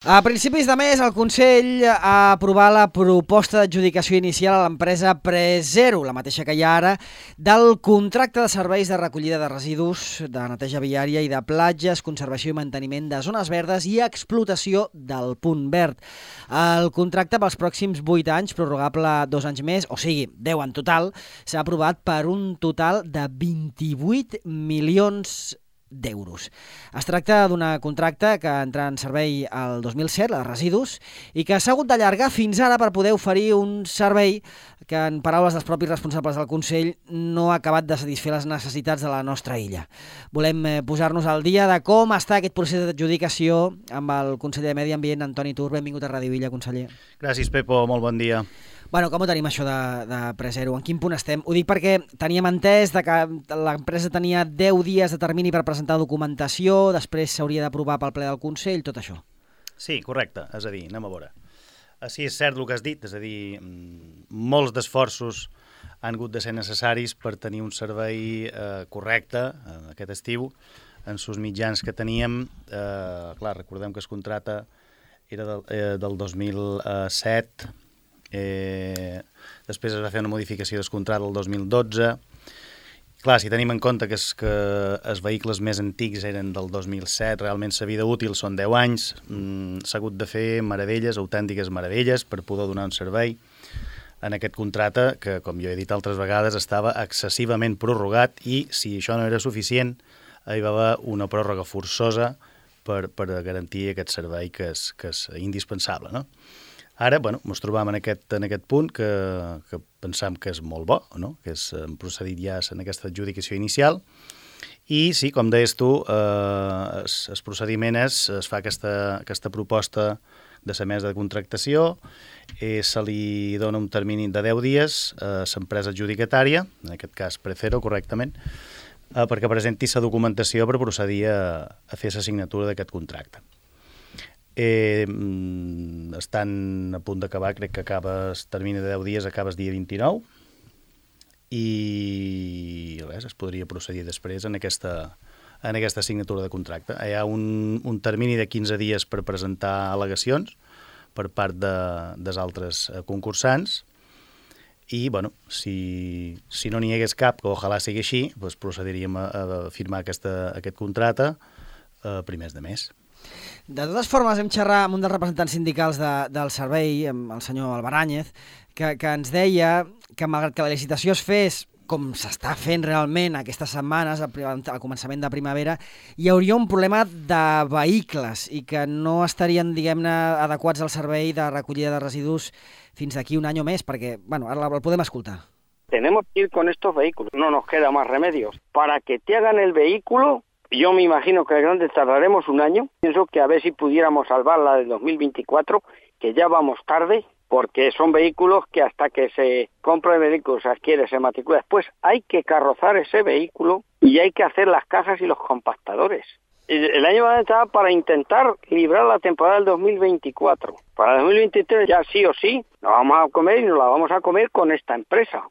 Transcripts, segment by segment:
A principis de mes, el Consell ha aprovat la proposta d'adjudicació inicial a l'empresa Prezero, la mateixa que hi ha ara, del contracte de serveis de recollida de residus, de neteja viària i de platges, conservació i manteniment de zones verdes i explotació del punt verd. El contracte pels pròxims 8 anys, prorrogable 2 anys més, o sigui, 10 en total, s'ha aprovat per un total de 28 milions d'euros. Es tracta d'un contracte que entra en servei el 2007, la de residus, i que s'ha hagut d'allargar fins ara per poder oferir un servei que, en paraules dels propis responsables del Consell, no ha acabat de satisfer les necessitats de la nostra illa. Volem posar-nos al dia de com està aquest procés d'adjudicació amb el conseller de Medi Ambient, Antoni Tur. Benvingut a Ràdio Illa, conseller. Gràcies, Pepo. Molt bon dia. Bueno, com ho tenim, això de Prezero? En quin punt estem? Ho dic perquè teníem entès que l'empresa tenia 10 dies de termini per presentar documentació, després s'hauria d'aprovar pel ple del Consell, tot això. Sí, correcte. És a dir, anem a veure. Sí, és cert el que has dit, és a dir, molts d'esforços han hagut de ser necessaris per tenir un servei correcte aquest estiu en sus mitjans que teníem. Clar, recordem que el contracte era del 2007, després es va fer una modificació del contracte el 2012. Clar, si tenim en compte que els vehicles més antics eren del 2007, realment la vida útil són 10 anys, s'ha hagut de fer meravelles, autèntiques meravelles, per poder donar un servei en aquest contracte que, com jo he dit altres vegades, estava excessivament prorrogat i, si això no era suficient, hi va haver una pròrroga forçosa per garantir aquest servei que és indispensable, no? Ara, ens trobam en aquest punt que pensam que és molt bo, no? Que hem procedit ja en aquesta adjudicació inicial. I sí, com deies tu, el procediment es fa aquesta proposta de la mesa de contractació, se li dona un termini de 10 dies a l'empresa adjudicatària, en aquest cas Prezero, correctament, perquè presenti la documentació per procedir a fer la signatura d'aquest contracte. Estan a punt d'acabar, crec que acaba el termini de 10 dies, acaba el dia 29, i res, es podria procedir després en aquesta signatura de contracte. Hi ha un termini de 15 dies per presentar al·legacions per part dels altres concursants, i si no n'hi hagués cap, que ojalà sigui així, procediríem a firmar aquest contracte a primers de mes. De totes formes, hem xerrat amb un dels representants sindicals del servei, amb el senyor Albaràñez, que ens deia que, malgrat que la licitació es fes com s'està fent realment aquestes setmanes, al començament de primavera, hi hauria un problema de vehicles i que no estarien, diguem-ne, adequats al servei de recollida de residus fins d'aquí un any o més, perquè, ara el podem escoltar. Tenemos que ir con estos vehículos, no nos queda más remedios. Para que te hagan el vehículo, yo me imagino que grande tardaremos un año. Pienso que a ver si pudiéramos salvar la del 2024, que ya vamos tarde, porque son vehículos que hasta que se compra el vehículo, se adquiere, se matricula, después hay que carrozar ese vehículo y hay que hacer las cajas y los compactadores. El año va a estar para intentar librar la temporada del 2024. Para el 2023 ya sí o sí la vamos a comer y nos la vamos a comer con esta empresa.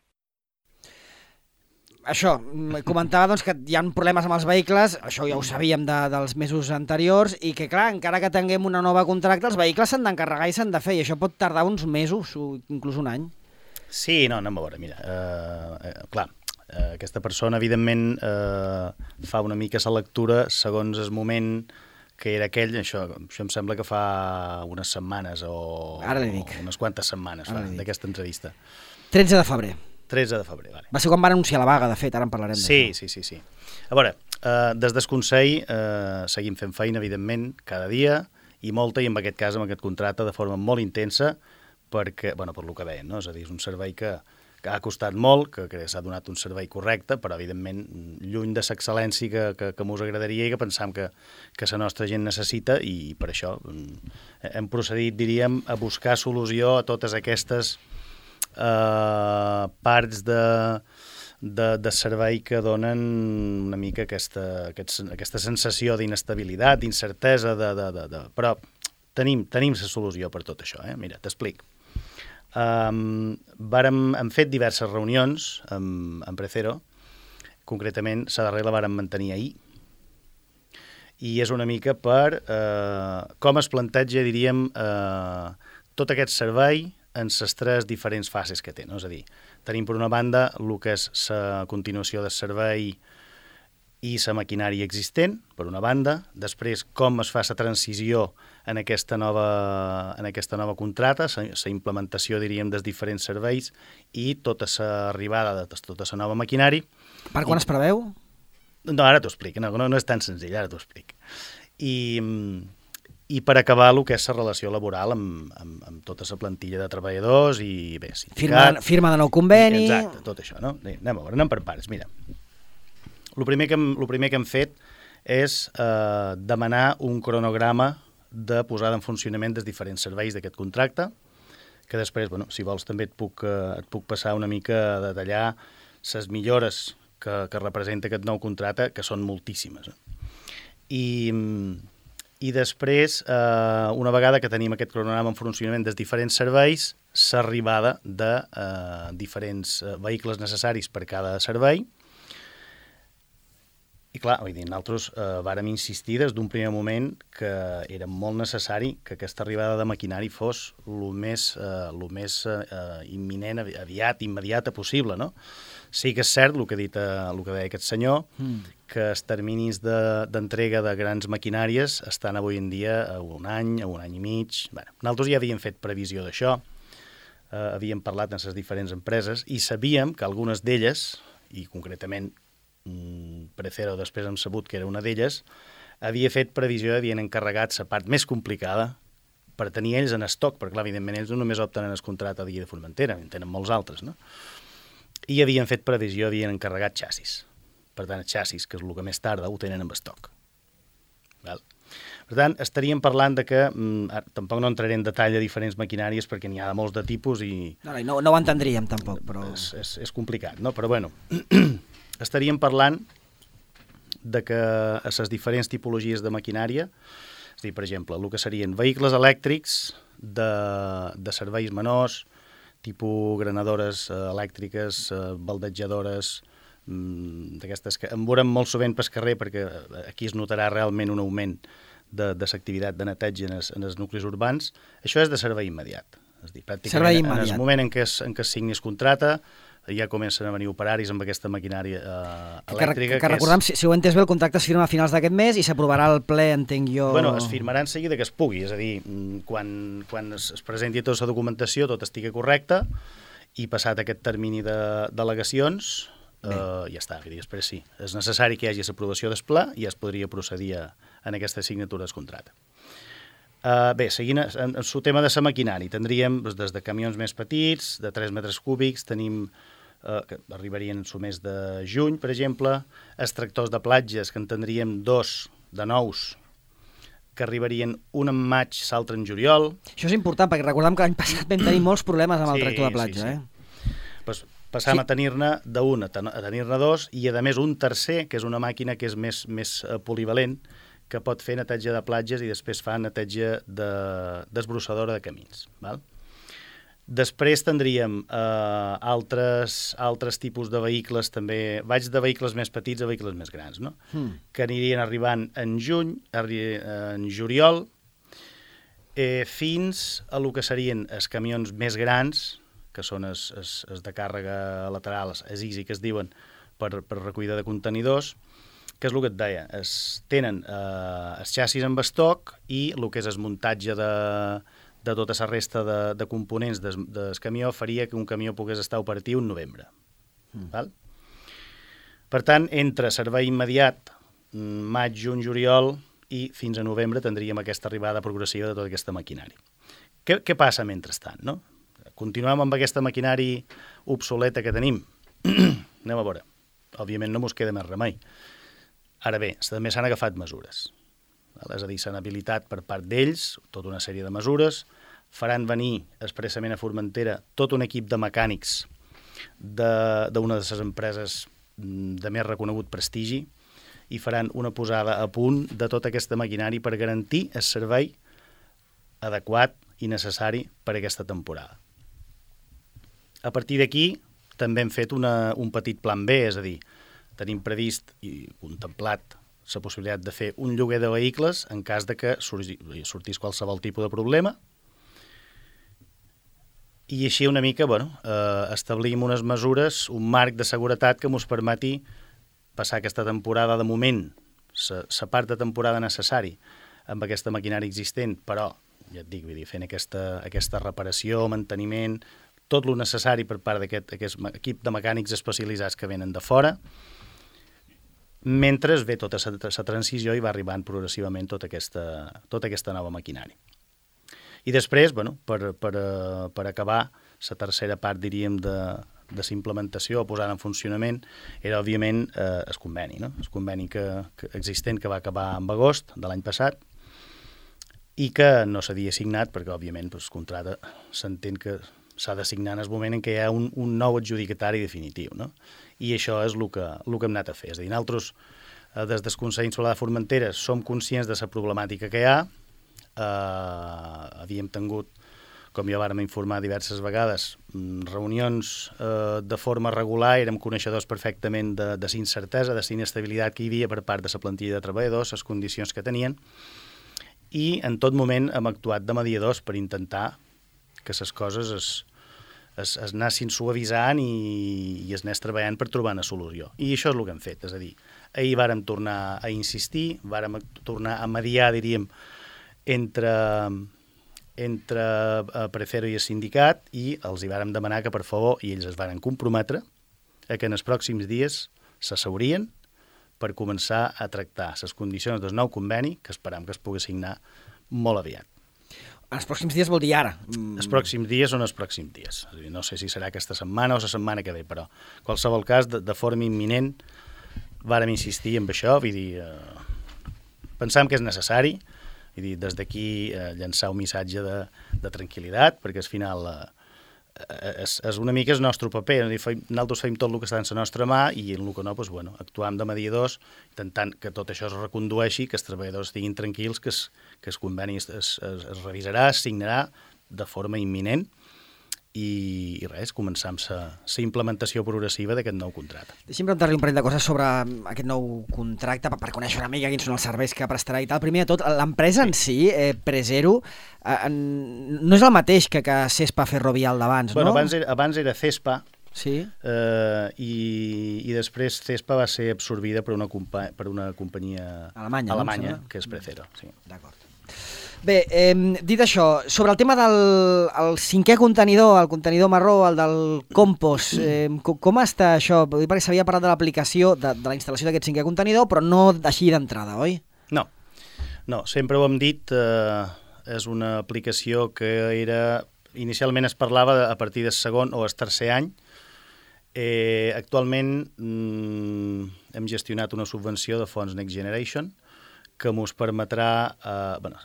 Això, comentava que hi ha problemes amb els vehicles, això ja ho sabíem dels mesos anteriors, i que, clar, encara que tinguem una nova contracte, els vehicles s'han d'encarregar i s'han de fer, i això pot tardar uns mesos, o inclús un any. Sí, no, anem a veure, mira, clar, aquesta persona, evidentment, fa una mica la lectura segons el moment que era aquell, això em sembla que fa unes setmanes o unes quantes setmanes d'aquesta entrevista. 13 de febrer. 13 de febrer, vale. Va ser quan van anunciar la vaga, de fet, ara en parlarem d'això. Sí. A veure, des del Consell seguim fent feina, evidentment, cada dia, i molta, i en aquest cas, amb aquest contracte, de forma molt intensa, perquè, per lo que deien, no? És a dir, és un servei que ha costat molt, que s'ha donat un servei correcte, però, evidentment, lluny de l'excel·lència que mos agradaria i que pensam que la nostra gent necessita, i per això hem procedit, diríem, a buscar solució a totes aquestes parts de servei que donen una mica aquesta sensació d'inestabilitat, d'incertesa, però tenim la solució per tot això. Mira, t'explic. Hem fet diverses reunions amb Prezero, concretament la darrera la vàrem mantenir ahir, i és una mica per com es planteja, diríem, tot aquest servei en les tres diferents fases que té. No? És a dir, tenim per una banda el que és la continuació del servei i la maquinària existent, per una banda, després com es fa la transició en aquesta nova contrata, la implementació, diríem, dels diferents serveis i tota l'arribada de tota la nova maquinària. Per quan es preveu? No, ara t'ho explico, no és tan senzill, ara t'ho explico. I per acabar el que és la relació laboral amb tota la plantilla de treballadors i bé, sindicat... Firma de nou conveni... Exacte, tot això, no? Anem a veure, anem per parts, mira. El primer que hem fet és demanar un cronograma de posada en funcionament dels diferents serveis d'aquest contracte, que després, bueno, si vols també et puc passar una mica a detallar les millores que representa aquest nou contracte, que són moltíssimes. I després, una vegada que tenim aquest cronograma en funcionament dels diferents serveis, l'arribada de diferents vehicles necessaris per cada servei. I clar, vull dir, nosaltres vàrem insistir des d'un primer moment que era molt necessari que aquesta arribada de maquinari fos el més imminent, immediata possible, no? Sí que és cert el que deia aquest senyor, que els terminis d'entrega de grans maquinàries estan avui en dia a un any i mig. Bé, nosaltres ja havíem fet previsió d'això, havíem parlat amb les diferents empreses i sabíem que algunes d'elles, i concretament Precero després hem sabut que era una d'elles, havia fet previsió, havien encarregat la part més complicada per tenir ells en estoc, perquè clar, evidentment ells no només opten en el contracte de Guia de Formentera, en tenen molts altres, no? I havien fet previsió, havien encarregat xassis. Per tant, els xassis, que és el que més tarda, ho tenen en estoc. Val? Per tant, estaríem parlant de que, tampoc no entraré en detall a diferents maquinàries perquè n'hi ha de molts de tipus i... No ho entendríem tampoc, però... És complicat, no? Però bueno, estaríem parlant de que a les diferents tipologies de maquinària, és a dir, per exemple, el que serien vehicles elèctrics de serveis menors, tipus granadores elèctriques, baldejadores, d'aquestes que en veurem molt sovint pel carrer perquè aquí es notarà realment un augment de l'activitat de neteja en els nuclis urbans. Això és de servei immediat. És a dir, pràcticament en el moment en què es signi el contracte ja comencen a venir operaris amb aquesta maquinària elèctrica. Que recordem, si ho he entès bé, el contracte es firma a finals d'aquest mes i s'aprovarà al ple, entenc jo... Bueno, es firmarà en seguida que es pugui, és a dir, quan es presenti tota la documentació, tot estigui correcte, i passat aquest termini d'al·legacions, ja està, i després sí. És necessari que hi hagi l'aprovació del pla i ja es podria procedir en aquesta signatura del contracte. Bé, seguint en el tema de la maquinària, tindríem des de camions més petits, de 3 metres cúbics, tenim que arribarien al mes de juny, per exemple, els tractors de platges, que en tindríem 2 de nous, que arribarien un en maig, l'altre en juliol. Això és important, perquè recordem que l'any passat vam tenir molts problemes amb el tractor de platja. Sí. Pues passam a tenir-ne d'un a tenir-ne 2, i a més un tercer, que és una màquina que és més polivalent, que pot fer neteja de platges i després fa neteja d'esbrossadora de camins. Val? Després tindríem altres tipus de vehicles també, vaig de vehicles més petits a vehicles més grans, no? Que anirien arribant en juliol, fins a lo que serien els camions més grans, que són els de càrrega lateral, els easy que es diuen, per recollida de contenidors, que és el que et deia, tenen els xassis en estoc i el que és el muntatge de tota la resta de components del camió faria que un camió pogués estar operatiu en novembre. Val? Per tant, entre servei immediat, maig, juny, juliol i fins a novembre tindríem aquesta arribada progressiva de tota aquesta maquinària. Què passa mentrestant, no? Continuem amb aquesta maquinària obsoleta que tenim? Anem a veure. Òbviament no mos queda més remei. Ara bé, també s'han agafat mesures. És a dir, s'han habilitat per part d'ells tota una sèrie de mesures, faran venir expressament a Formentera tot un equip de mecànics d'una de les empreses de més reconegut prestigi i faran una posada a punt de tota aquesta maquinària per garantir el servei adequat i necessari per a aquesta temporada. A partir d'aquí també hem fet un petit plan B, és a dir, tenim previst i contemplat la possibilitat de fer un lloguer de vehicles en cas de que sortís qualsevol tipus de problema. I així una mica establim unes mesures, un marc de seguretat que ens permeti passar aquesta temporada de moment, la part de temporada necessari amb aquesta maquinària existent, però, ja et dic, fent aquesta reparació, manteniment, tot el necessari per part d'aquest equip de mecànics especialitzats que venen de fora, mentre ve tota la transició i va arribant progressivament tota aquesta nova maquinària. I després, per acabar, la tercera part, diríem, de la implementació o posar en funcionament era, òbviament, el conveni, no? El conveni existent que va acabar en agost de l'any passat i que no s'havia signat perquè, òbviament, el contracte s'entén que s'ha de signar en el moment en què hi ha un nou adjudicatari definitiu, no? I això és el que hem anat a fer. És a dir, nosaltres, des del Consell Insular de Formentera, som conscients de la problemàtica que hi ha. Havíem tingut, com ja vàrem informar diverses vegades, reunions de forma regular, érem coneixedors perfectament de la incertesa, de la inestabilitat que hi havia per part de la plantilla de treballadors, les condicions que tenien, i en tot moment hem actuat de mediadors per intentar que les coses es anessin suavitzant i es anés treballant per trobar una solució. I això és el que hem fet, és a dir, ahir vàrem tornar a insistir, vàrem tornar a mediar, diríem, entre Precero i el sindicat, i els hi vàrem demanar que, per favor, i ells es varen comprometre, que en els pròxims dies s'asseurien per començar a tractar les condicions del nou conveni, que esperam que es pugui signar molt aviat. Els pròxims dies vol dir ara. Els pròxims dies són els pròxims dies. És a dir, no sé si serà aquesta setmana o la setmana que ve, però en qualsevol cas, de forma imminent, vàrem insistir en això, vull dir, pensam que és necessari, vull dir, des d'aquí llançar un missatge de tranquil·litat, perquè al final és una mica el nostre paper. Nosaltres fem tot el que està en la nostra mà i en el que no, actuam de mediadors, intentant que tot això es recondueixi, que els treballadors estiguin tranquils, que el conveni es revisarà, es signarà de forma imminent i res, començar amb la implementació progressiva d'aquest nou contracte. Deixi'm preguntar-li un parell de coses sobre aquest nou contracte per conèixer una mica quins són els serveis que prestarà i tal. Primer de tot, l'empresa en si, Precero, no és el mateix que Cespa Ferrovial d'abans, no? Abans era Cespa, sí. I després Cespa va ser absorbida per una companyia alemanya, que és Precero. Sí. D'acord. Bé, dit això, sobre el tema del cinquè contenidor, el contenidor marró, el del compost, com està això? Perquè s'havia parlat de l'aplicació de la instal·lació d'aquest cinquè contenidor, però no així d'entrada, oi? No, sempre ho hem dit, és una aplicació que inicialment es parlava a partir del segon o el tercer any. Actualment hem gestionat una subvenció de fons Next Generation, que ens permetrà,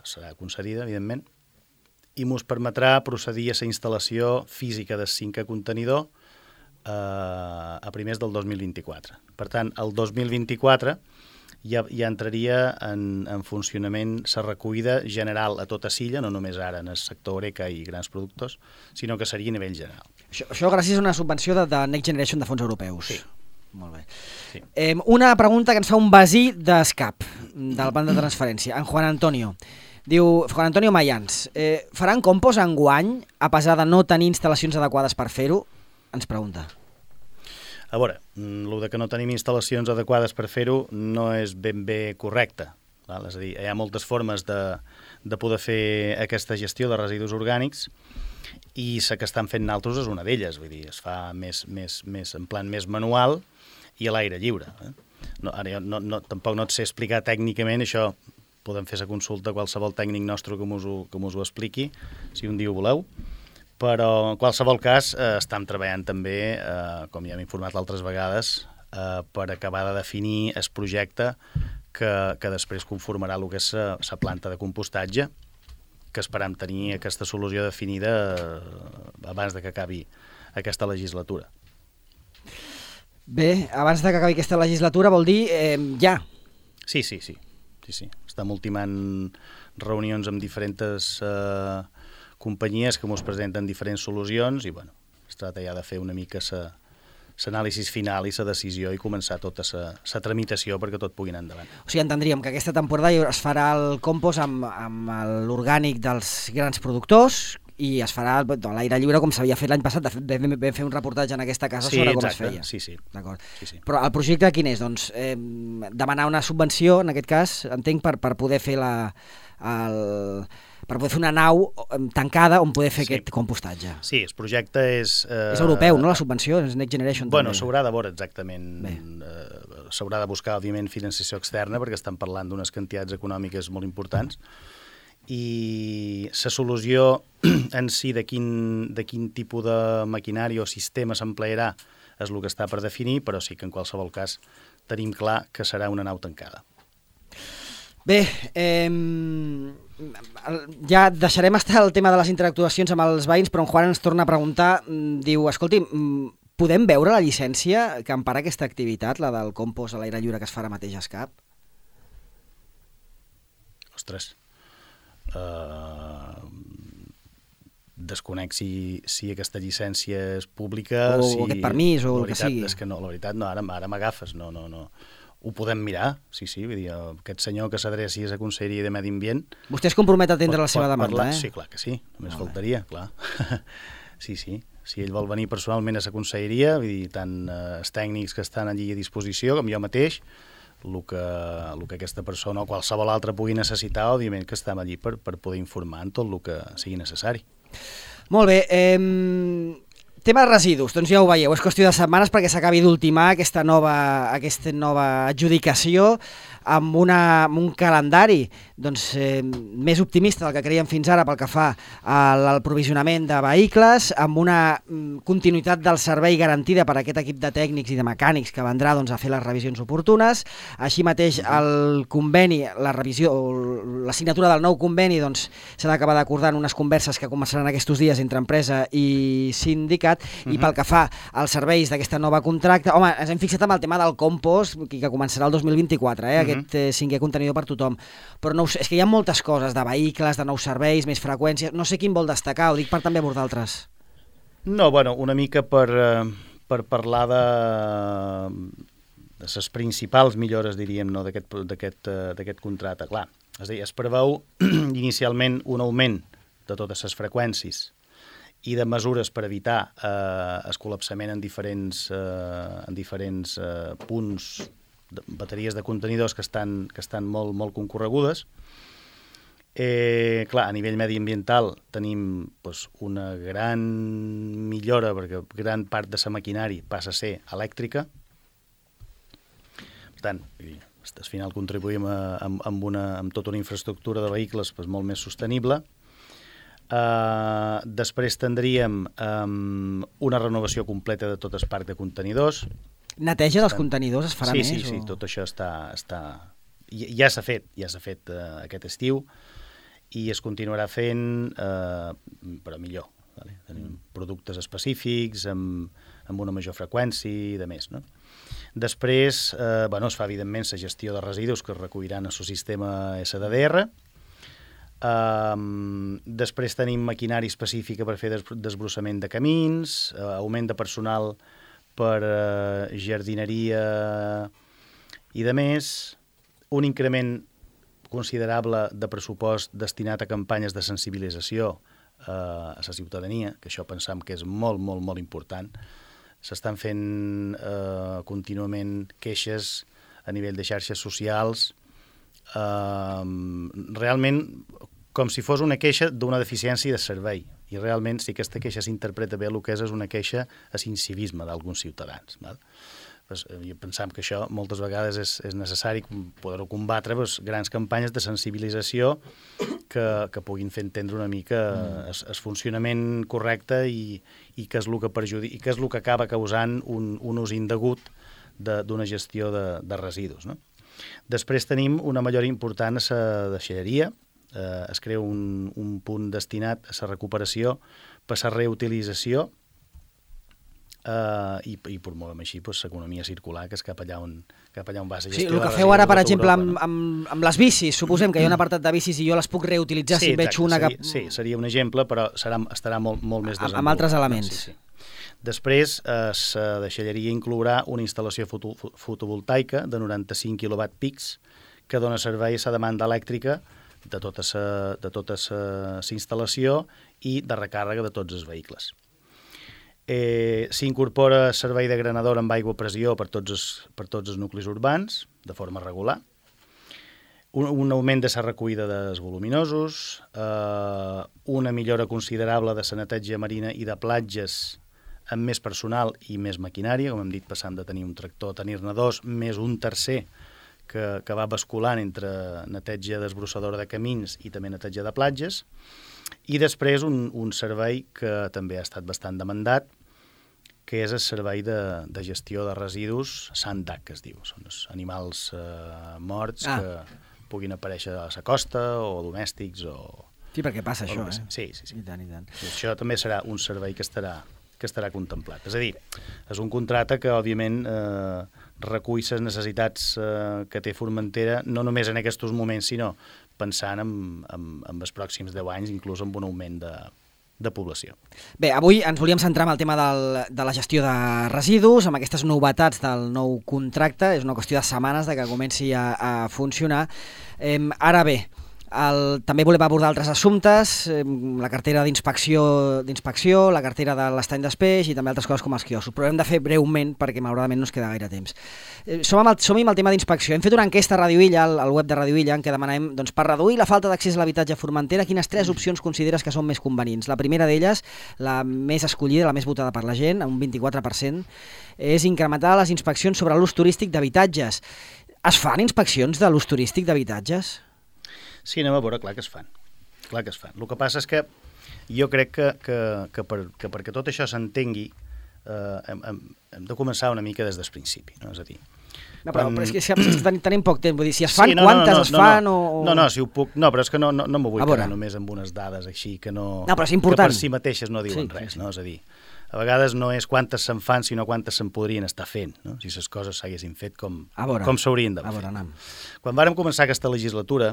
serà concedida, evidentment, i ens permetrà procedir a la instal·lació física del cinquè contenidor a primers del 2024. Per tant, el 2024 ja entraria en funcionament la recollida general a tota Silla, no només ara en el sector Oreca i grans productors, sinó que seria a nivell general. Això gràcies a una subvenció de Next Generation de fons europeus. Sí. Molt bé. Sí. Una pregunta que ens fa un basí d'ESCAP, del banc de transferència, en Juan Antonio. Diu, Juan Antonio Mayans, faran compost enguany a pesar de no tenir instal·lacions adequades per fer-ho? Ens pregunta. A veure, el de que no tenim instal·lacions adequades per fer-ho no és ben bé correcte. Val? És a dir, hi ha moltes formes de poder fer aquesta gestió de residus orgànics i la que estan fent nosaltres és una d'elles. Vull dir, es fa en plan més manual i a l'aire lliure. Ara jo tampoc no et sé explicar tècnicament això. Podem fer la consulta a qualsevol tècnic nostre que mos ho expliqui, si un dia ho voleu. Però, en qualsevol cas, estem treballant també, com ja hem informat altres vegades, per acabar de definir el projecte que després conformarà el que és la planta de compostatge, que esperam tenir aquesta solució definida abans de que acabi aquesta legislatura. Bé, abans de que acabi aquesta legislatura vol dir ja. Sí. Estem ultimant reunions amb diferents companyies que ens presenten diferents solucions i es tracta ja de fer una mica l'anàlisi final i la decisió i començar tota la tramitació perquè tot pugui anar endavant. O sigui, entendríem que aquesta temporada es farà el compost amb l'orgànic dels grans productors i es farà a l'aire lliure com s'havia fet l'any passat. De fet, vam fer un reportatge en aquesta casa sobre com es feia. Sí, sí. D'acord. Sí. Però el projecte quin és? Doncs demanar una subvenció, en aquest cas, entenc, per poder fer per poder fer una nau tancada on poder fer aquest compostatge. Sí, el projecte és... És europeu, no?, la subvenció? És Next Generation bueno, també. S'haurà de veure exactament. S'haurà de buscar, òbviament, financiació externa perquè estan parlant d'unes quantitats econòmiques molt importants i la solució en si de quin tipus de maquinari o sistema s'emplearà és el que està per definir, però sí que en qualsevol cas tenim clar que serà una nau tancada. Bé, ja deixarem estar el tema de les interactuacions amb els veïns, però en Juan ens torna a preguntar, diu, escolti, podem veure la llicència que empara aquesta activitat, la del compost a l'aire lliure que es farà mateix a Escap? Ostres, desconec si aquesta llicència és pública o aquest permís o el que sigui. És que no, la veritat no, ara m'agafes, no. Ho podem mirar, sí, vull dir, aquest senyor que s'adreci a la Conselleria de Medi Ambient... Vostè es compromet a atendre la seva demanda, Sí, clar que sí, només faltaria, clar. Sí, si ell vol venir personalment a la Conselleria, vull dir, tant els tècnics que estan allí a disposició com jo mateix, el que aquesta persona o qualsevol altra pugui necessitar, òbviament que estem allí per poder informar en tot el que sigui necessari. Molt bé, tema de residus, doncs ja ho veieu, és qüestió de setmanes perquè s'acabi d'ultimar aquesta nova adjudicació amb un calendari més optimista del que creiem fins ara pel que fa al provisionament de vehicles, amb una continuïtat del servei garantida per aquest equip de tècnics i de mecànics que vendrà a fer les revisions oportunes. Així mateix el conveni, la revisió, la signatura del nou conveni s'ha d'acabar d'acordar en unes converses que començaran aquests dies entre empresa i sindicat. I pel que fa als serveis d'aquesta nova contracte, home, ens hem fixat amb el tema del compost, que començarà el 2024, aquest 5è contenidor per tothom, però no, és que hi ha moltes coses, de vehicles, de nous serveis, més freqüències, no sé quin vol destacar, ho dic per també abordar altres. No, bueno, una mica per parlar de les principals millores, diríem, no, d'aquest contracte. Clar, és a dir, es preveu inicialment un augment de totes les freqüències i de mesures per evitar el col·lapsament en diferents punts, bateries de contenidors que estan molt concorregudes. Clar, a nivell mediambiental tenim una gran millora perquè gran part de la maquinari passa a ser elèctrica. Per tant, al final contribuïm amb tota una infraestructura de vehicles molt més sostenible. Després tindríem una renovació completa de tot el parc de contenidors. Neteja dels contenidors es farà més? Sí, tot això ja s'ha fet aquest estiu i es continuarà fent, però millor. Tenim productes específics, amb una major freqüència i de més, no? Després es fa evidentment la gestió de residus que es recolliran al sistema SDDR. Després tenim maquinari específica per fer desbrossament de camins, augment de personal per jardineria i de més, un increment considerable de pressupost destinat a campanyes de sensibilització a la ciutadania, que això pensam que és molt, molt, molt important. S'estan fent contínuament queixes a nivell de xarxes socials, realment com si fos una queixa d'una deficiència de servei, i realment si aquesta queixa s'interpreta bé el que és una queixa a l'incivisme d'alguns ciutadans. Pensam que això moltes vegades és necessari poder-ho combatre, grans campanyes de sensibilització que puguin fer entendre una mica el funcionament correcte i què és el que perjudica i què és el que acaba causant un ús indegut d'una gestió de residus, no? Després tenim una millora important a la deixalleria. Es crea un punt destinat a la recuperació per la reutilització i promovem així l'economia circular, que és cap allà on va la gestió. Sí, el que feu ara, per exemple, amb les bicis, suposem que hi ha un apartat de bicis i jo les puc reutilitzar si veig una que... Sí, seria un exemple, però estarà molt més desenvolupat. Amb altres elements. Sí. Després, la deixalleria inclourà una instal·lació fotovoltaica de 95 kW pics que dona servei a la demanda elèctrica de tota la instal·lació i de recàrrega de tots els vehicles. S'incorpora servei de granador amb aigua a pressió per tots els nuclis urbans, de forma regular. Un augment de la recollida dels voluminosos, una millora considerable de la neteja marina i de platges amb més personal i més maquinària, com hem dit, passant de tenir un tractor a tenir-ne dos, més un tercer que va basculant entre neteja desbrossadora de camins i també neteja de platges, i després un servei que també ha estat bastant demandat, que és el servei de gestió de residus SANDAC, que es diu. Són els animals morts que puguin aparèixer a la costa o domèstics o... Sí, perquè passa això, Sí. I tant, i tant. I això també serà un servei que estarà contemplat. És a dir, és un contracte que, òbviament, recull les necessitats que té Formentera, no només en aquests moments, sinó pensant en els pròxims 10 anys, inclús amb un augment de població. Bé, avui ens volíem centrar en el tema de la gestió de residus, amb aquestes novetats del nou contracte. És una qüestió de setmanes que comenci a funcionar. Ara bé, també volem abordar altres assumptes, la cartera d'inspecció, la cartera de l'estany d'espeix i també altres coses com els quioscos, però hem de fer breument perquè malauradament no ens queda gaire temps. Som-hi amb el tema d'inspecció. Hem fet una enquesta a Radio Illa, al web de Radio Illa, en què demanem, doncs, per reduir la falta d'accés a l'habitatge a Formentera, quines 3 opcions consideres que són més convenients. La primera d'elles, la més escollida, la més votada per la gent, un 24%, és incrementar les inspeccions sobre l'ús turístic d'habitatges. Es fan inspeccions de l'ús turístic d'habitatges? Sí, anem a veure, clar que es fan. El que passa és que jo crec que perquè tot això s'entengui hem de començar una mica des del principi, no? És a dir... No, però és que tenim poc temps, vull dir, si es fan, quantes es fan o... No, si ho puc... No, però és que no m'ho vull quedar només amb unes dades així que no... No, però és important. Que per si mateixes no diuen res, no? És a dir, a vegades no és quantes se'n fan, sinó quantes se'n podrien estar fent, no? Si les coses s'haguessin fet com s'haurien d'haver fet. Quan vàrem començar aquesta legislatura,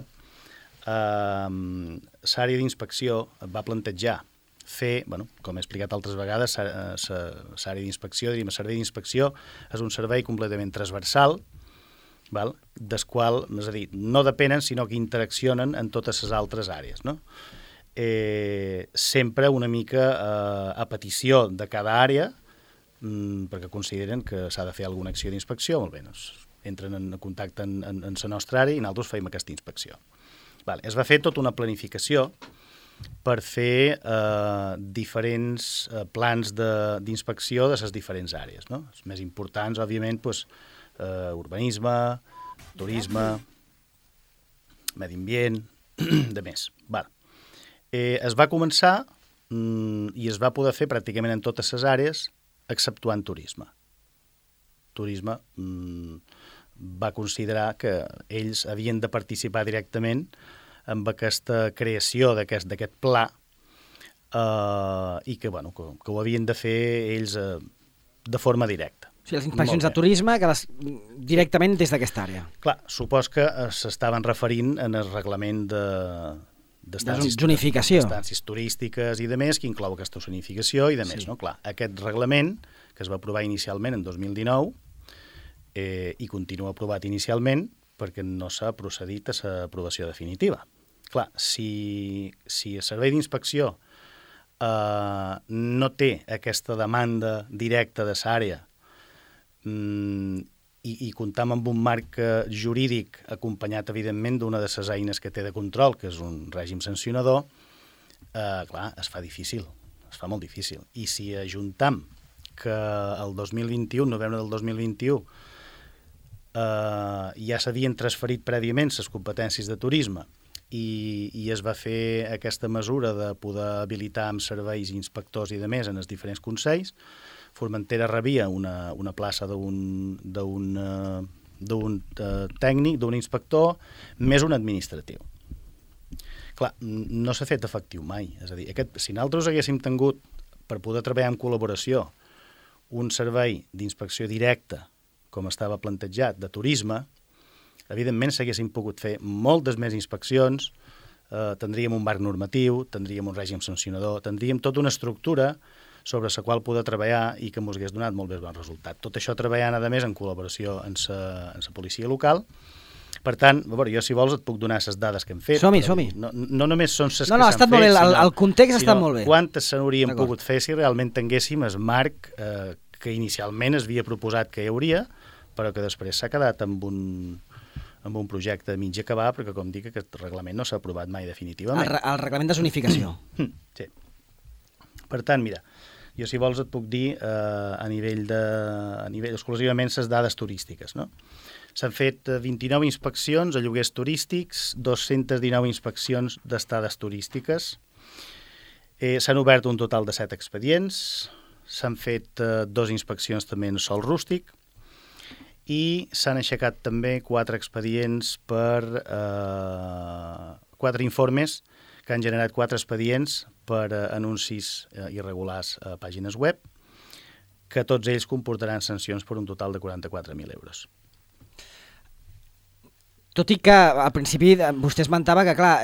l'àrea d'inspecció va plantejar fer, com he explicat altres vegades, l'àrea d'inspecció, diríem, el servei d'inspecció és un servei completament transversal, des qual, és a dir, no depenen, sinó que interaccionen en totes les altres àrees, no? Sempre una mica a petició de cada àrea, perquè consideren que s'ha de fer alguna acció d'inspecció, molt bé, entren en contacte en la nostra àrea i nosaltres fem aquesta inspecció. Es va fer tota una planificació per fer diferents plans d'inspecció de les diferents àrees, no? Els més importants, òbviament, urbanisme, turisme, medi ambient, de més. Es va començar i es va poder fer pràcticament en totes les àrees, exceptuant turisme. Turisme va considerar que ells havien de participar directament amb aquesta creació d'aquest pla i que ho havien de fer ells de forma directa. O sigui, les inspeccions de turisme directament des d'aquesta àrea. Clar, supos que s'estaven referint en el reglament d'estàncies turístiques i de més, que inclou aquesta zonificació i de més, no? Clar, aquest reglament, que es va aprovar inicialment en 2019, i continua aprovat inicialment perquè no s'ha procedit a l'aprovació definitiva. Clar, si el servei d'inspecció no té aquesta demanda directa de l'àrea i comptam amb un marc jurídic acompanyat, evidentment, d'una de les eines que té de control, que és un règim sancionador, clar, es fa difícil, es fa molt difícil. I si ajuntam que el 2021, novembre del 2021, ja s'havien transferit prèviament les competències de turisme i es va fer aquesta mesura de poder habilitar amb serveis inspectors i de més en els diferents consells, Formentera rebia una plaça d'un tècnic, d'un inspector, més un administratiu. Clar, no s'ha fet efectiu mai. És a dir, si nosaltres haguéssim tingut, per poder treballar en col·laboració, un servei d'inspecció directa com estava plantejat, de turisme, evidentment s'haguessin pogut fer moltes més inspeccions, tindríem un marc normatiu, tindríem un règim sancionador, tindríem tota una estructura sobre la qual poder treballar i que ens hagués donat molt més bon resultat. Tot això treballant, a més, en col·laboració amb la policia local. Per tant, a veure, jo, si vols, et puc donar les dades que hem fet. Som-hi. No només són les que ha s'han estat fet, molt bé, el context ha estat molt bé. Quantes se n'haurien pogut fer si realment tinguéssim el marc que inicialment es havia proposat que hi hauria, però que després s'ha quedat amb un projecte mig acabar, perquè, com dic, aquest reglament no s'ha aprovat mai definitivament. El reglament de zonificació. Sí. Per tant, mira, jo, si vols, et puc dir a nivell exclusivament les dades turístiques, no? S'han fet 29 inspeccions a lloguers turístics, 219 inspeccions d'estades turístiques, s'han obert un total de 7 expedients, s'han fet 2 inspeccions també en sòl rústic i s'han aixecat també 4 expedients per 4 informes que han generat 4 expedients per anuncis irregulars a pàgines web, que tots ells comportaran sancions per un total de 44.000 euros. Tot i que al principi vostè esmentava que, clar,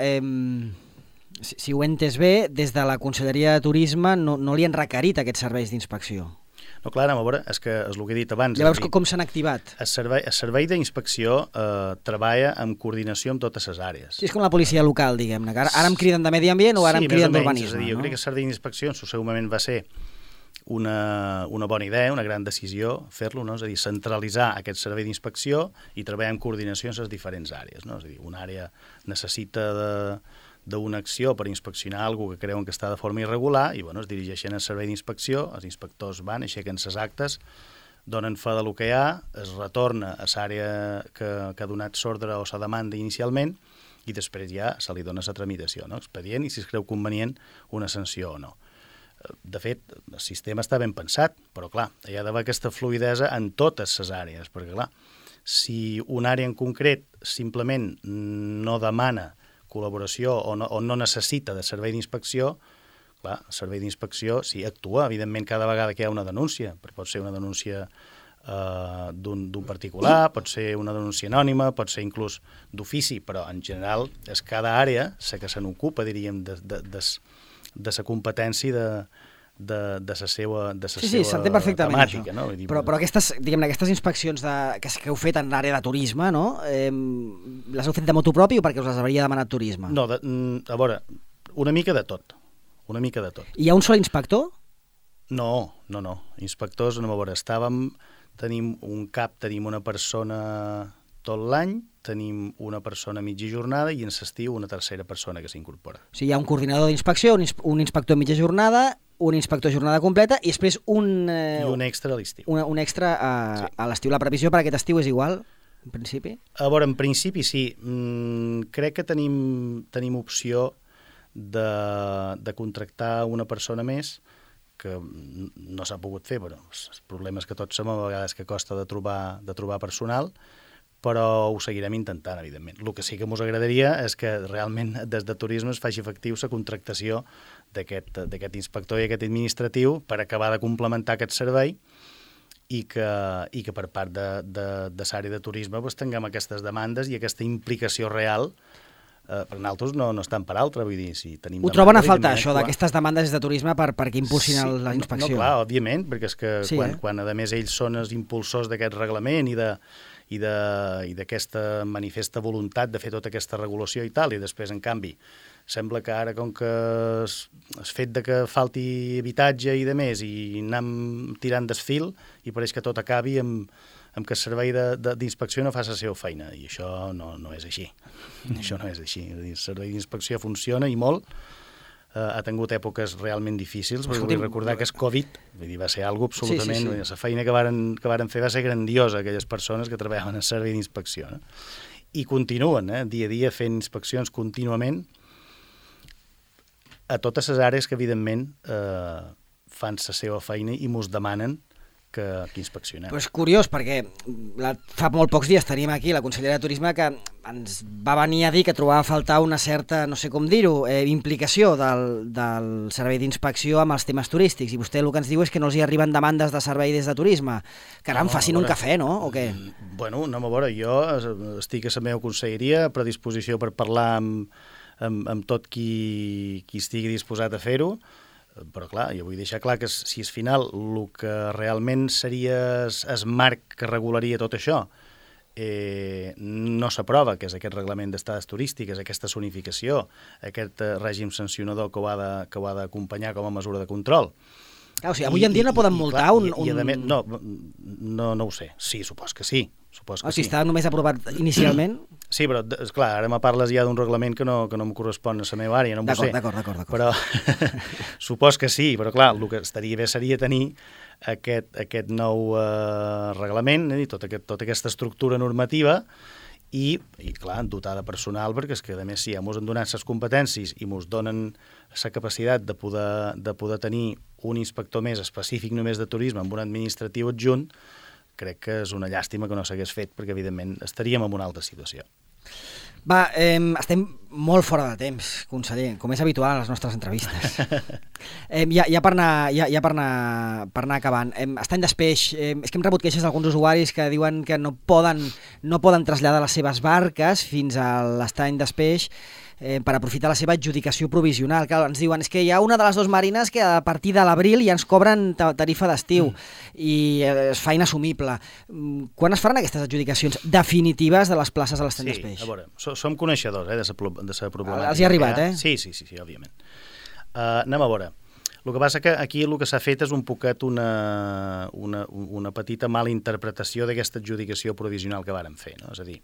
si ho he entès bé, des de la Conselleria de Turisme no li han requerit aquests serveis d'inspecció. No, clar, a veure, és que és el que he dit abans. Llavors, com s'han activat? El servei d'inspecció treballa en coordinació amb totes les àrees. Sí, és com la policia local, diguem-ne. Ara em criden de Medi Ambient o ara em criden d'urbanisme. Jo crec que el servei d'inspecció en el seu moment va ser una bona idea, una gran decisió fer-lo, no? És a dir, centralitzar aquest servei d'inspecció i treballar en coordinació en les diferents àrees, no? És a dir, una àrea necessita d'una acció per inspeccionar alguna que creuen que està de forma irregular i es dirigeixen al servei d'inspecció, els inspectors van, aixequen les actes, donen fe del que hi ha, es retorna a l'àrea que ha donat l'ordre o la demanda inicialment i després ja se li dona la tramitació, no? Expedient i si es creu convenient una sanció o no. De fet, el sistema està ben pensat, però clar, hi ha d'haver aquesta fluïdesa en totes les àrees, perquè clar, si una àrea en concret simplement no demana col·laboració o no necessita de servei d'inspecció, clar, el servei d'inspecció sí actua, evidentment, cada vegada que hi ha una denúncia, però pot ser una denúncia d'un particular, pot ser una denúncia anònima, pot ser inclús d'ofici, però en general és cada àrea la que se n'ocupa, diríem, de la competència de la seva temàtica. No? Però aquestes inspeccions que heu fet en l'àrea de turisme, no? Les heu fet de motu propi o perquè us les hauria demanat turisme? No, a veure, una mica de tot. Hi ha un sol inspector? No. Inspectors, no, a veure, tenim un cap, tenim una persona tot l'any, tenim una persona mitja jornada i en l'estiu una tercera persona que s'incorpora. O sigui, hi ha un coordinador d'inspecció, un inspector mitja jornada, un inspector jornada completa i després I un extra a l'estiu. Un extra a l'estiu. La previsió per aquest estiu és igual, en principi? A veure, en principi sí. Crec que tenim opció de contractar una persona més que no s'ha pogut fer, però els problemes que tots som a vegades que costa de trobar personal, però ho seguirem intentant, evidentment. El que sí que ens agradaria és que realment des de turisme es faci efectiu la contractació d'aquest inspector i aquest administratiu per acabar de complementar aquest servei i que per part de l'àrea de turisme tinguem aquestes demandes i aquesta implicació real. Per nosaltres no estan per altra, vull dir, si tenim... Ho troben a faltar, això, d'aquestes demandes de turisme perquè impulsin la inspecció? No, clar, òbviament, perquè és que quan a més ells són els impulsors d'aquest reglament i d'aquesta manifesta voluntat de fer tota aquesta regulació i tal, i després, en canvi, sembla que ara, com que el fet de que falti habitatge i de més, i anem tirant desfil, i pareix que tot acabi amb que el servei d'inspecció no fa la seva feina, i això no és així. Això no és així. El servei d'inspecció funciona i molt, ha tingut èpoques realment difícils, perquè vull recordar que és Covid, vull dir, va ser algo absolutament... Sí. La feina que varen fer va ser grandiosa, aquelles persones que treballaven en servei d'inspecció. No? I continuen, dia a dia, fent inspeccions contínuament a totes les àrees que, evidentment, fan la seva feina i mos demanen que inspeccionem. Però és curiós, perquè fa molt pocs dies tenim aquí la consellera de Turisme que ens va venir a dir que trobava a faltar una certa, no sé com dir-ho, implicació del servei d'inspecció amb els temes turístics, i vostè el que ens diu és que no els hi arriben demandes de servei des de turisme. Caram, facin un cafè, no? O què? Bueno, a veure, jo estic a la meva conselleria a predisposició per parlar amb tot qui estigui disposat a fer-ho. Però clar, jo vull deixar clar que si al final el que realment seria el marc que regularia tot això no s'aprova, que és aquest reglament d'estades turístiques, aquesta zonificació, aquest règim sancionador que ho ha d'acompanyar com a mesura de control. Clar, o sigui, avui en dia no poden multar No ho sé. Sí, supos que sí. Si està només aprovat inicialment... Sí, però, esclar, ara me parles ja d'un reglament que no em correspon a la meva àrea, no m'ho sé. D'acord. Però supos que sí, però clar, el que estaria bé seria tenir aquest nou reglament, tota aquesta estructura normativa i clar, dotar de personal, perquè és que, a més, si ja mos han donat les competències i mos donen la capacitat de poder tenir un inspector més específic només de turisme amb un administratiu adjunt, crec que és una llàstima que no s'hagués fet, perquè, evidentment, estaríem en una altra situació. Va, estem molt fora de temps, conseller, com és habitual a les nostres entrevistes. Ja per anar acabant. Estany d'Espeix, és que hem rebut queixes d'alguns usuaris que diuen que no poden traslladar les seves barques fins a l'estany d'Espeix per aprofitar la seva adjudicació provisional. Clar, ens diuen, és que hi ha una de les dues marines que a partir de l'abril ja ens cobren tarifa d'estiu i és feina assumible. Quan es faran aquestes adjudicacions definitives de les places a l'estany d'Espeix? Sí, a veure, som coneixedors de la problemàtica. Els hi ha arribat, Sí, òbviament. Anem a veure. El que passa que aquí el que s'ha fet és un poquet una petita mala interpretació d'aquesta adjudicació provisional que vàrem fer, no? És a dir,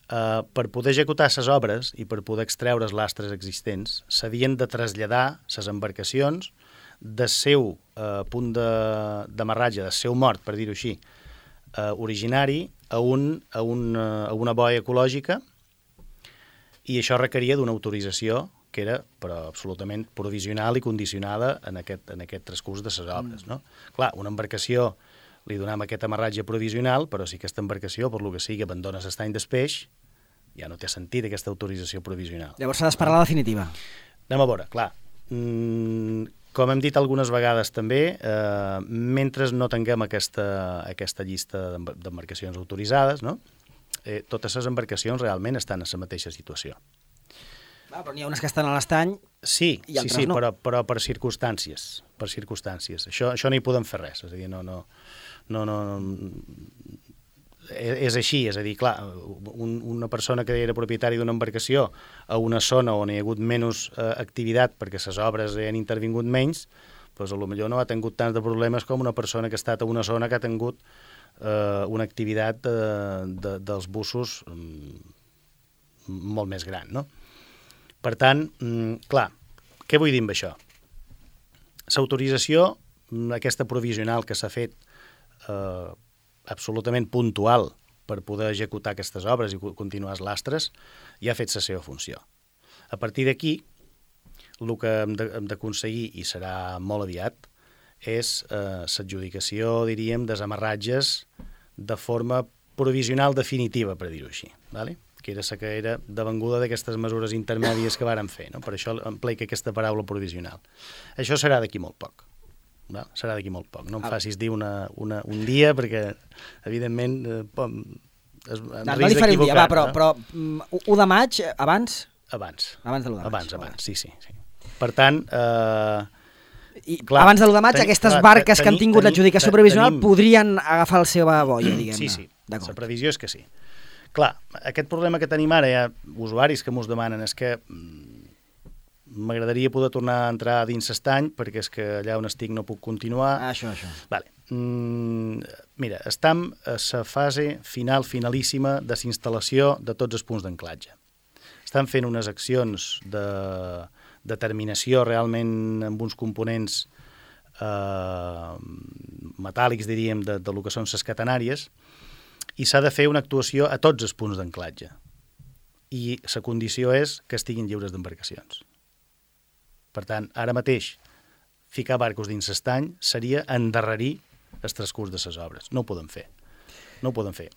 per poder executar les obres i per poder extreure els lastres existents, s'havien de traslladar les embarcacions del seu punt d'amarratge, del seu mort, per dir-ho així, originari a una boia ecològica, i això requeria d'una autorització que era però absolutament provisional i condicionada en aquest transcurs de les obres. No? Clar, una embarcació li donem aquest amarratge provisional, però si aquesta embarcació, per lo que sigui, abandona l'estany d'Espeix, ja no té sentit aquesta autorització provisional. Llavors s'ha d'esperar la definitiva. Anem a veure, clar. Com hem dit algunes vegades també, mentre no tinguem aquesta llista d'embarcacions autoritzades, no? Totes les embarcacions realment estan en la mateixa situació. Però n'hi ha unes que estan a l'estany i altres no. Però per circumstàncies. Això no hi podem fer res. És a dir, és així, és a dir, clar, una persona que era propietària d'una embarcació a una zona on hi ha hagut menys activitat perquè les obres han intervingut menys, doncs potser no ha tingut tants de problemes com una persona que ha estat a una zona que ha tingut una activitat dels bussos molt més gran, no? Per tant, clar, què vull dir amb això? L'autorització, aquesta provisional que s'ha fet absolutament puntual per poder executar aquestes obres i continuar els lastres, ja ha fet la seva funció. A partir d'aquí, el que hem d'aconseguir, i serà molt aviat, és l'adjudicació, diríem, desamarratges de forma provisional definitiva, per dir-ho així, ¿vale? Que era la que era devenguda d'aquestes mesures intermèdies que vàrem fer, no? Per això empleica aquesta paraula provisional. Això serà d'aquí molt poc. No? Serà d'aquí molt poc. No em facis dir un dia, perquè, evidentment, no li faré un dia, però 1 de maig, abans? Abans de l'1 de maig. Abans, sí. Per tant... clar, abans de l'1 de maig, aquestes barques que han tingut l'adjudicació provisional podrien agafar la seva boia, diguem-ne. Sí. La previsió és que sí. Clar, aquest problema que tenim ara, hi ha usuaris que mos demanen, és que m'agradaria poder tornar a entrar dins l'estany perquè és que allà on estic no puc continuar. Això. Vale. Mira, estem a la fase finalíssima de l'instal·lació de tots els punts d'anclatge. Estan fent unes accions de determinació realment amb uns components metàl·lics, diríem, de lo que són les catenàries, i s'ha de fer una actuació a tots els punts d'anclatge. I la condició és que estiguin lliures d'embarcacions. Per tant, ara mateix, ficar barcos dins l'estany seria endarrerir el transcurs de les obres. No ho podem fer.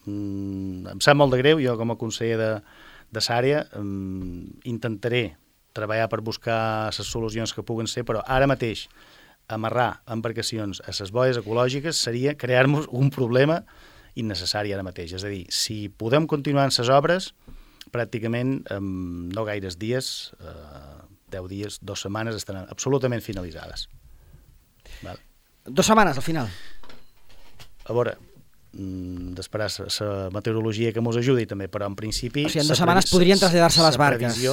Em sap molt de greu, jo com a conseller de l'àrea intentaré treballar per buscar les solucions que puguen ser, però ara mateix amarrar embarcacions a les boies ecològiques seria crear-nos un problema innecessari ara mateix. És a dir, si podem continuar en les obres, pràcticament no gaires dies, 10 dies, 2 setmanes, estaran absolutament finalitzades. Val. 2 setmanes, al final. A veure, d'esperar la meteorologia que mos ajudi també, però en principi... O sigui, en 2 setmanes podrien traslladar-se les barques.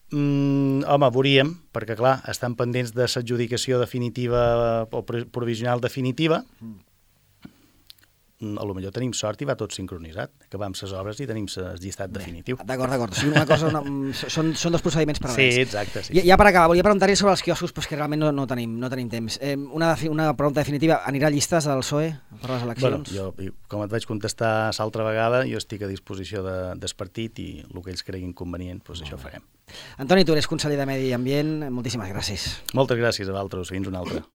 Home, veuríem, perquè clar, estan pendents de l'adjudicació definitiva o provisional definitiva. A lo millor tenim sort i va tot sincronitzat. Acabam les obres i tenim el llistat definitiu. D'acord. O sigui, una cosa, són 2 procediments paral·lels. Sí, exacte. Sí. Ja per acabar, volia preguntar-li sobre els quioscos, però és que realment no tenim temps. Una pregunta definitiva, anirà a llistes del PSOE per les eleccions? Bueno, jo, com et vaig contestar l'altra vegada, jo estic a disposició del partit i el que ells creguin convenient, doncs això farem. Antoni Tura és conseller de Medi Ambient, moltíssimes gràcies. Moltes gràcies a vosaltres, fins una altra.